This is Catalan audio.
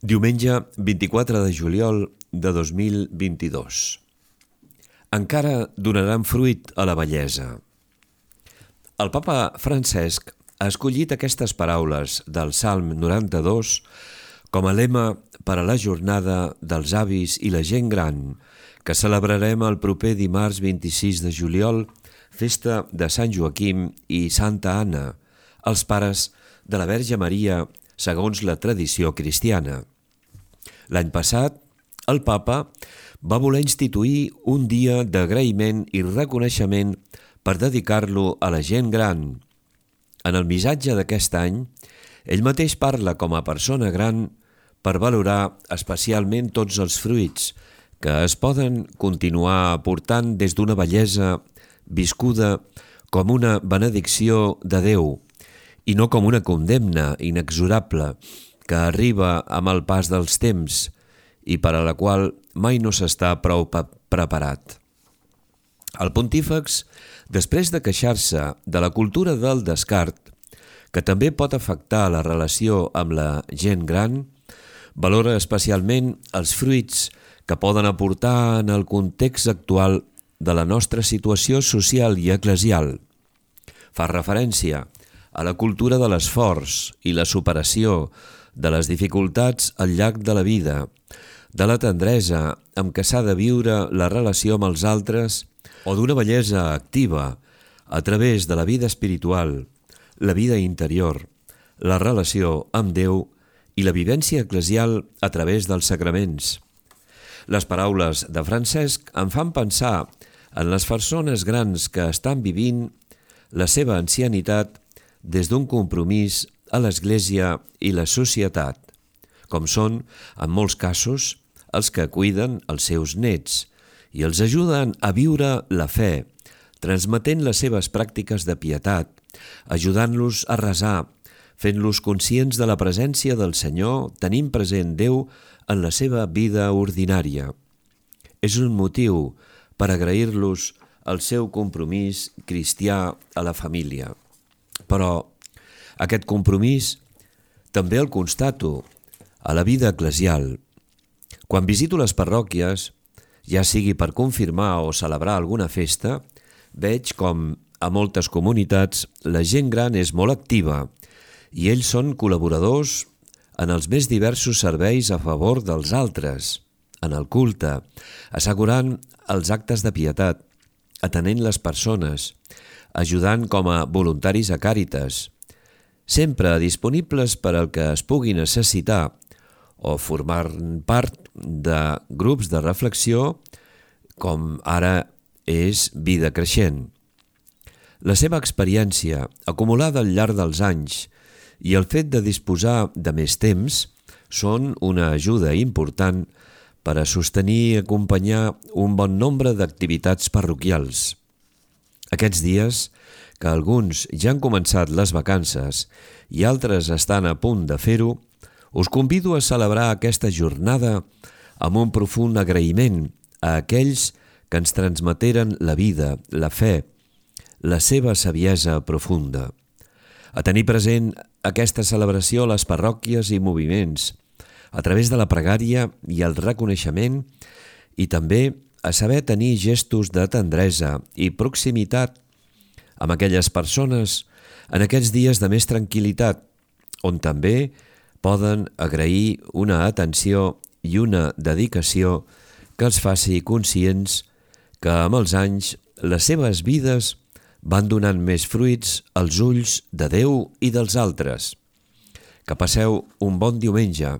Diumenge 24 de juliol de 2022. Encara donaran fruit a la bellesa. El papa Francesc ha escollit aquestes paraules del Salm 92 com a lema per a la jornada dels avis i la gent gran, que celebrarem el proper dimarts 26 de juliol, festa de Sant Joaquim i Santa Anna, els pares de la Verge Maria, segons la tradició cristiana. L'any passat, el papa va voler instituir un dia d'agraïment i reconeixement per dedicar-lo a la gent gran. En el missatge d'aquest any, ell mateix parla com a persona gran per valorar especialment tots els fruits que es poden continuar aportant des d'una bellesa viscuda com una benedicció de Déu i no com una condemna inexorable que arriba amb el pas dels temps i per a la qual mai no s'està prou preparat. El pontífex, després de queixar-se de la cultura del descart, que també pot afectar la relació amb la gent gran, valora especialment els fruits que poden aportar en el context actual de la nostra situació social i eclesial. Fa referència a la cultura de l'esforç i la superació de les dificultats al llarg de la vida, de la tendresa amb què s'ha de viure la relació amb els altres o d'una bellesa activa a través de la vida espiritual, la vida interior, la relació amb Déu i la vivència eclesial a través dels sacraments. Les paraules de Francesc em fan pensar en les persones grans que estan vivint la seva ancianitat des d'un compromís a l'Església i la societat, com són, en molts casos, els que cuiden els seus nets i els ajuden a viure la fe, transmetent les seves pràctiques de pietat, ajudant-los a resar, fent-los conscients de la presència del Senyor, tenint present Déu en la seva vida ordinària. És un motiu per agrair-los el seu compromís cristià a la família. Però aquest compromís també el constato a la vida eclesial. Quan visito les parròquies, ja sigui per confirmar o celebrar alguna festa, veig com a moltes comunitats la gent gran és molt activa i ells són col·laboradors en els més diversos serveis a favor dels altres, en el culte, assegurant els actes de pietat, atenent les persones, ajudant com a voluntaris a Càritas, sempre disponibles per al que es pugui necessitar o formar part de grups de reflexió com ara és Vida Creixent. La seva experiència, acumulada al llarg dels anys, i el fet de disposar de més temps són una ajuda important per a sostenir i acompanyar un bon nombre d'activitats parroquials. Aquests dies, que alguns ja han començat les vacances i altres estan a punt de fer-ho, us convido a celebrar aquesta jornada amb un profund agraïment a aquells que ens transmeteren la vida, la fe, la seva saviesa profunda. A tenir present aquesta celebració a les parròquies i moviments, a través de la pregària i el reconeixement, i també a saber tenir gestos de tendresa i proximitat amb aquelles persones en aquests dies de més tranquil·litat, on també poden agrair una atenció i una dedicació que els faci conscients que amb els anys les seves vides van donant més fruits als ulls de Déu i dels altres. Que passeu un bon diumenge.